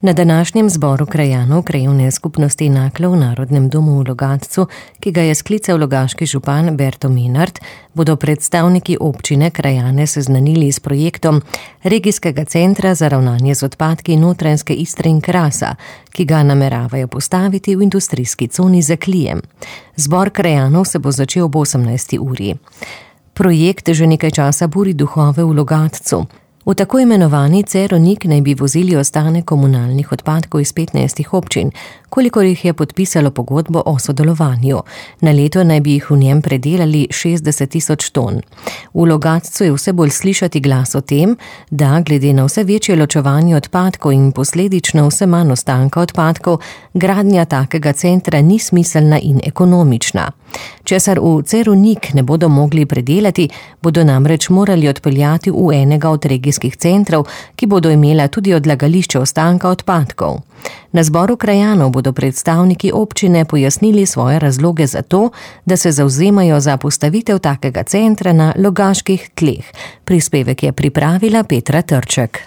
Na današnjem zboru krajanov Krajevne skupnosti Naklo v Narodnem domu v Logatcu, ki ga je sklical logaški župan Berto Menart, bodo predstavniki občine krajane seznanili s projektom Regijskega centra za ravnanje z odpadki Notranjske Istre in Krasa, ki ga nameravajo postaviti v industrijski coni Zaklijem. Zbor krajanov se bo začel ob 18. uri. Projekt že nekaj časa buri duhove v Logatcu. V tako imenovani Ceronik naj bi vozili ostanek komunalnih odpadkov iz 15 občin, kolikor jih je podpisalo pogodbo o sodelovanju. Na leto naj bi jih v njem predelali 60.000 ton. V Logatcu je vse bolj slišati glas o tem, da glede na vse večje ločevanje odpadkov in posledično vse manj ostanka odpadkov, gradnja takega centra ni smiselna in ekonomična. Česar v Ceronik ne bodo mogli predelati, bodo namreč morali odpeljati v enega od regijskih centrov, ki bodo imela tudi odlagališče ostanka odpadkov. Na zboru krajanov bodo predstavniki občine pojasnili svoje razloge za to, da se zavzemajo za postavitev takega centra na logaških tleh. Prispevek je pripravila Petra Trček.